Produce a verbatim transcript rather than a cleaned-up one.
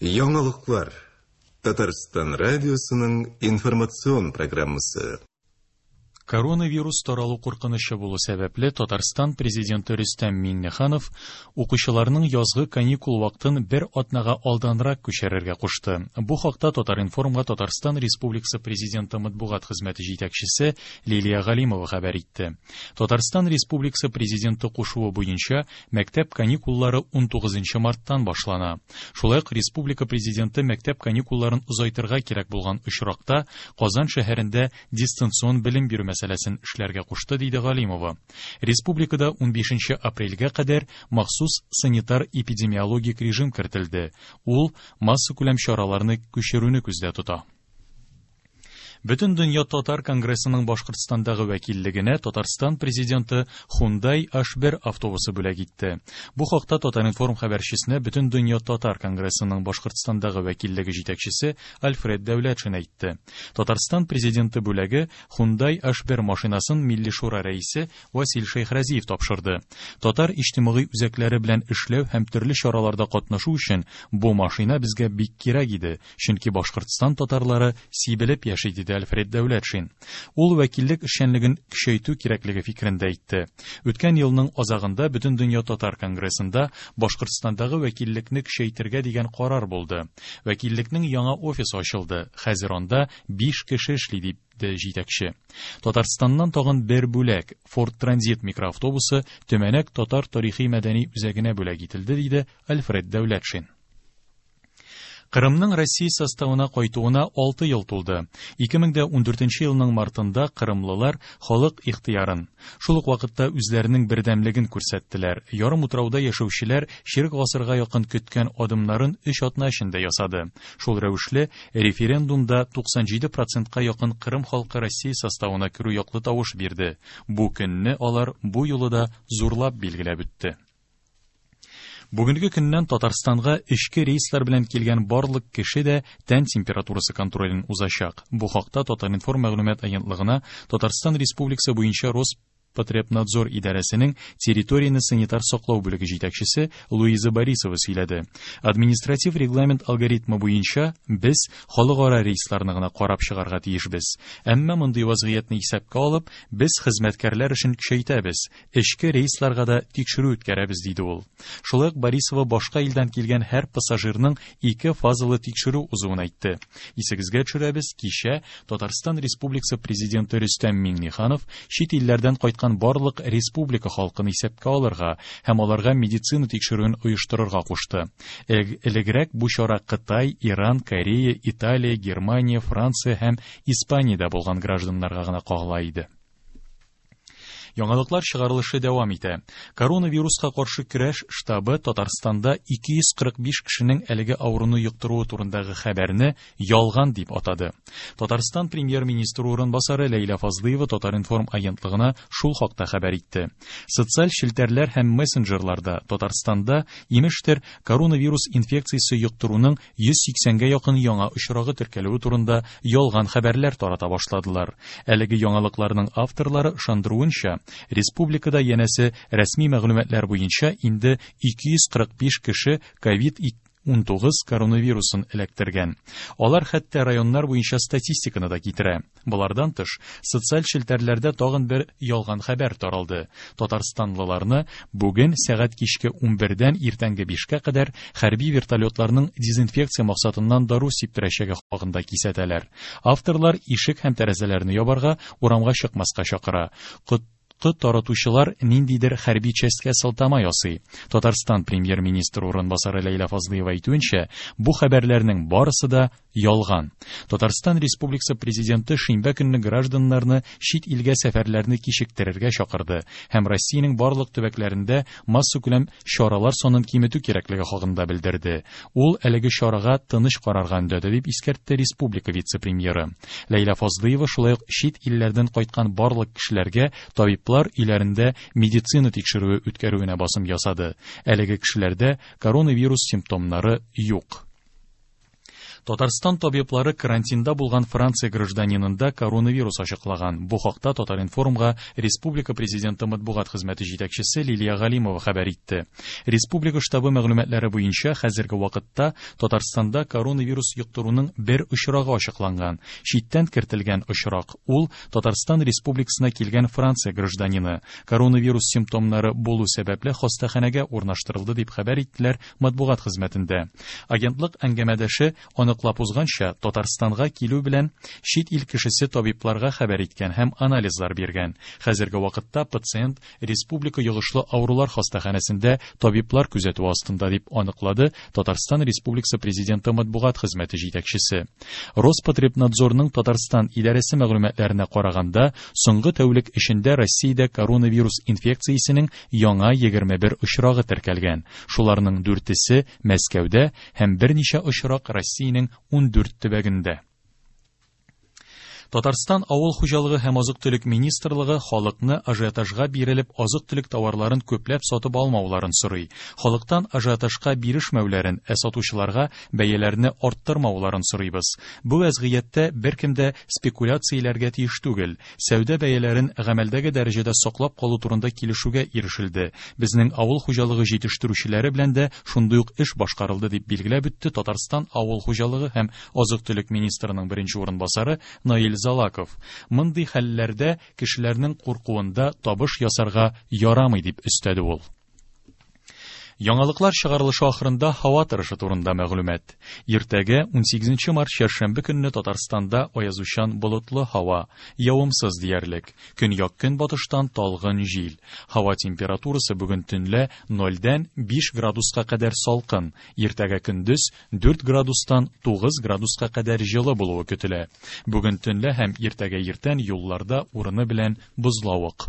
Яңалыклар. Татарстан радиосының информацион программасы. Коронавирус таралу куркынычы булу сәбәпле, Татарстан президенты Рөстәм Миңнеханов укучыларның язгы каникул вакытын бер атнага алданрак күчерергә кушты. Бу хакта Татар-информга Татарстан Республикасы президенты матбугат хезмәте җитәкчесе Лилия Галимова хәбәр итте. Татарстан Республикасы президенты кушуы буенча мәктәп каникуллары унтугызынчы марттан башлана. Шулай ук республика президенты мәктәп каникулларын озайтырга кирәк булган очракта Казан шәһәрендә дистанцион белем бирү мәсьәләсен эшләргә кушты, диде Галимова. Республикада унбишенче апрельгә кадәр махсус санитар-эпидемиологик режим кертелде. Ул массакүләм чараларны күчерүне күздә тота. Бөтен дөнья татар конгрессының Башкортстандагы вәкиллегенә Татарстан президенты Hyundai H бер автобусы бүләк итте. Бу хакта Татар-информ хәбәрчесенә Бөтен дөнья татар конгрессының Башкортстандагы вәкиллеге җитәкчесе Альфред Дәүләтшин әйтте. Татарстан президенты бүләге Hyundai H бер машинасын Милли Шура рәисе Васил Шәйхразиев тапшырды. Татар иҗтимагый үзәкләре белән эшләү һәм төрле чараларда катнашу өчен бу машина безгә бик кирәк иде, чөнки Башкортстан татарлары сибелеп яши, диде Альфред Дәүләтшин. Ул вәкиллек эшчәнлеген көчәйтү кирәклеге фикерен дә әйтте. Үткән елның азагында Бөтен дөнья татар конгрессында Башкортстандагы вәкиллекне көчәйтергә дигән карар булды. Вәкиллекнең яңа офисы ачылды. Хәзер анда биш кеше эшли, дип җитәкче. Татарстаннан тагын бер бүләк Ford Transit микроавтобусы Төмәнәк татар тарихи мәдәни үзәгенә бүләк ителде, диде Альфред Дәүләтшин. Кырымның Россия составына кайтуына алты ел тулды. Ике мең дә ундүртенче елның мартында кырымлылар халык ихтыярын, шул ук вакытта үзләренең бердәмлеген күрсәттеләр. Ярым утрауда яшәүчеләр чирек гасырга якын көткән адымнарын өч атна эчендә ясады. Шул рәвешле референдумда туксан җиде процентка якын Кырым халкы Россия составына керү яклы тавыш бирде. Бу көнне алар бу юлы да зурлап билгеләп үтте. Бүгенге көннән Татарстанга эчке рейслар белән килгән барлык кеше дә тән температурасы контролен узачак. Бу хакта Татар-информ мәгълүмат агентлыгына Татарстан Республикасы буенча Роспотребнадзор идарәсенең территорияне санитар саклау бүлеге җитәкчесе Луиза Борисова сөйләде. Административ регламент алгоритмы буенча без халыкара рейсларны гына карап чыгарга тиешбез. Әмма мондый вазгыятьне исәпкә алып, без хезмәткәрләр эшен көчәйтәбез, эчке рейсларга да тикшерү үткәрәбез, диде ул. Шулай ук Борисова башка илдән килгән һәр пассажирның ике фазалы тикшерү узуын әйтте. Исегезгә төшерәбез, кичә Татарстан Республикасы президенты Рөстәм Миңнеханов чит илләрдән кайткан барлык республика халкын исәпкә алырга һәм аларга медицина тикшерүен оештырырга кушты. Элегрәк бу чара Кытай, Иран, Корея, Италия, Германия, Франция һәм Испаниядә булган гражданнарга гына кагыла иде. Яңалыклар чыгарылышы дәвам итә. Коронавируска каршы көрәш штабы Татарстанда ике йөз кырык биш кешенең әлеге авыруны йоктыруы турындагы хәбәрне ялган дип атады. Татарстан премьер-министры урынбасары Ләйлә Фазлыева Татар-информ агентлыгына шул хакта хәбәр итте. Социаль челтәрләр һәм мессенджерларда Татарстанда имештер коронавирус инфекциясе йоктыруның йөз сиксәнгә якын яңа очрагы теркәлүе турында ялган хәбәрләр тарата башладылар. Әлеге яңалыкларның авторлары ышандыруынча, республикада янәсе рәсми мәгълүматлар буенча инде ике йөз кырык биш кеше ковид унтугыз коронавирусын эләктергән. Алар хәтта районнар буенча статистиканы да китерә. Болардан тыш, социаль челтәрләрдә тагын бер ялган хәбәр таралды. Татарстанлыларны бүген сәгать кичке унбердән иртәнге бишкә кадәр хәрби вертолетларның дезинфекция максатыннан дару сиптерәчәге хакында кисәтәләр. Авторлар ишек һәм тәрәзәләрне ябарга, урамга чыкмаска чакыра. Кот таратучылар ниндидер хәрби частькә сылтама ясый. Татарстан премьер-министры урынбасары Ләйлә Фазлыева әйтүенчә, бу хәбәрләрнең барысы да ялган. Татарстан Республикасы президенты шимбә көнне гражданнарны чит илгә сәфәрләрне кичектерергә чакырды һәм Россиянең барлык төбәкләрендә массакүләм чаралар санын киметү кирәклеге хакында белдерде. Ул әлеге чарага тыныч карарга өндәде, дип искәртте республика вице-премьеры. Ләйлә Фазлыева шулай ук чит илләрдән кайткан барлык кешеләргә табиблар өйләрендә медицина тикшерүе үткәрүенә басым ясады. Әлеге кешеләрдә коронавирус симптомнары юк. Татарстан табиблары карантинда булган Франция гражданинында коронавирус ачыклаган. Бу хакта Татар-информга Республика президенты матбугат хезмәте җитәкчесе Лилия Галимова хәбәр итте. Республика штабы мәгълүматлары буенча хәзерге вакытта Татарстанда коронавирус йоктыруның бер очрагы ачыкланган. Читтән кертелгән очрак ул Татарстан Республикасына килгән Франция гражданины. Коронавирус симптомнары булу сәбәпле хастаханәгә урнаштырылды дип хәбәр иттеләр матбугат хезмәтендә. Агентлык әңгәмәдәше аныклап узганча, Татарстанга килү белән чит ил кешесе табибларга хәбәр иткән һәм анализлар биргән. Хәзерге вакытта пациент Республика йогышлы авырулар хастаханәсендә табиблар күзәтүе астында дип аныклады Татарстан Республикасы президенты матбугат хезмәте җитәкчесе. Роспотребнадзорның Татарстан идарәсе мәгълүматларына караганда, соңгы тәүлек эчендә Россиядә коронавирус инфекциясенең яңа егерме бер очрагы теркәлгән. Шуларның дүртесе Мәскәүдә һәм берничә очрак Россиянең ун дүрт төбәгендә. Татарстан Авыл хуҗалыгы һәм азык-төлек министрлыгы халыкны ажиотажга бирелеп азык-төлек товарларын күпләп сатып алмауларын сорый. Халыктан ажиотажга бирешмәүләрен, ә сатучыларга бәяләрне арттырмауларын сорыйбыз. Бу вәзгыятьтә беркем дә спекуляцияләргә тиеш түгел. Сәүдә бәяләрен гамәлдәге дәрәҗәдә саклап калу турында килешүгә ирешелде. Безнең авыл хуҗалыгы җитештерүчеләре белән дә шундый ук эш башкарылды дип билгеләп үтте Татарстан Авыл хуҗалыгы һәм азык-төлек министрының беренче урынбасары Наил Залаков. Мондый хәлләрдә кешеләрнең куркуында табыш ясарга ярамый дип өстәде ул. Яңалыклар чыгарылышы ахырында һава торышы турында мәгълүмат. Иртәгә унсигезенче март чәршәмбе көнне Татарстанда аязучан болытлы һава, явымсыз диярлек. Көньяк көнбатыштан талгын җил. Һава температурасы бүген төнлә нольдән биш градуска кадәр салкын. Иртәгә көндез дүрт градустан тугыз градуска кадәр җылы булуы көтелә. Бүген төнлә һәм иртәгә иртән юлларда урыны белән бозлавык.